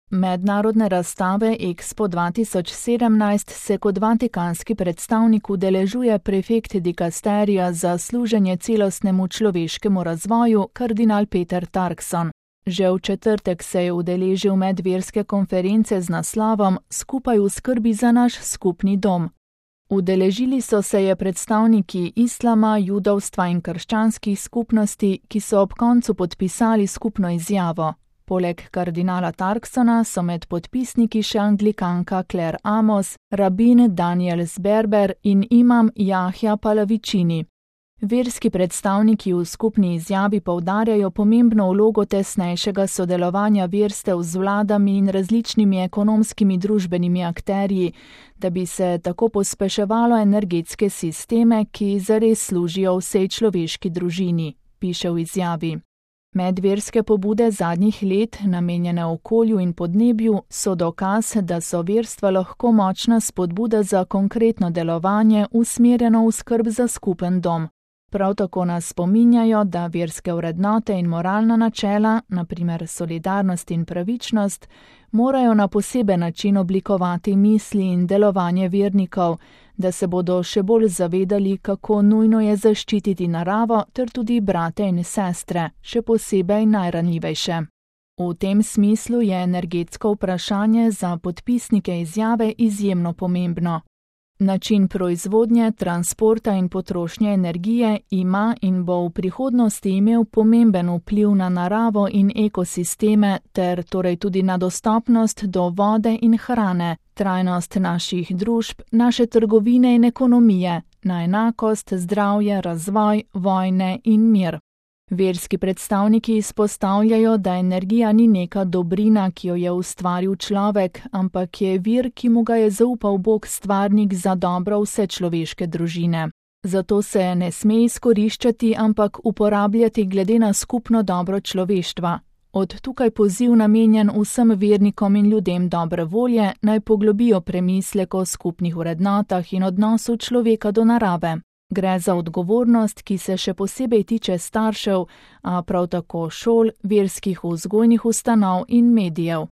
Mednarodne razstave Expo 2017 se kot vatikanski predstavnik udeležuje prefekt dikasterija za služenje celostnemu človeškemu razvoju kardinal Peter Turkson. Že v četrtek se je udeležil medverske konference z naslovom Skupaj v skrbi za naš skupni dom. Udeležili so se je predstavniki islama, judovstva in krščanskih skupnosti, ki so ob koncu podpisali skupno izjavo. Poleg kardinala Turksona so med podpisniki še anglikanka Claire Amos, rabin Daniel Sberber in imam Jahja Palavicini. Verski predstavniki v skupni izjavi poudarjajo pomembno vlogo tesnejšega sodelovanja verstev z vladami in različnimi ekonomskimi družbenimi akterji, da bi se tako pospeševalo energetske sisteme, ki zares služijo vsej človeški družini, piše v izjavi. Medverske pobude zadnjih let, namenjene okolju in podnebju, so dokaz, da so verstva lahko močna spodbuda za konkretno delovanje, usmerjeno v skrb za skupen dom. Prav tako nas spominjajo, da verske vrednote in moralna načela, na primer solidarnost in pravičnost, morajo na poseben način oblikovati misli in delovanje vernikov, da se bodo še bolj zavedali, kako nujno je zaščititi naravo ter tudi brate in sestre, še posebej najranljivejše. V tem smislu je energetsko vprašanje za podpisnike izjave izjemno pomembno. Način proizvodnje, transporta in potrošnje energije ima in bo v prihodnosti imel pomemben vpliv na naravo in ekosisteme ter torej tudi na dostopnost do vode in hrane, trajnost naših družb, naše trgovine in ekonomije, na enakost, zdravje, razvoj, vojne in mir. Verski predstavniki izpostavljajo, da energija ni neka dobrina, ki jo je ustvaril človek, ampak je vir, ki mu ga je zaupal Bog stvarnik za dobro vse človeške družine. Zato se ne sme izkoriščati, ampak uporabljati glede na skupno dobro človeštva. Od tukaj poziv namenjen vsem vernikom in ljudem dobre volje, naj poglobijo premislek o skupnih vrednotah in odnosu človeka do narave. Gre za odgovornost, ki se še posebej tiče staršev, a prav tako šol, verskih vzgojnih ustanov in medijev.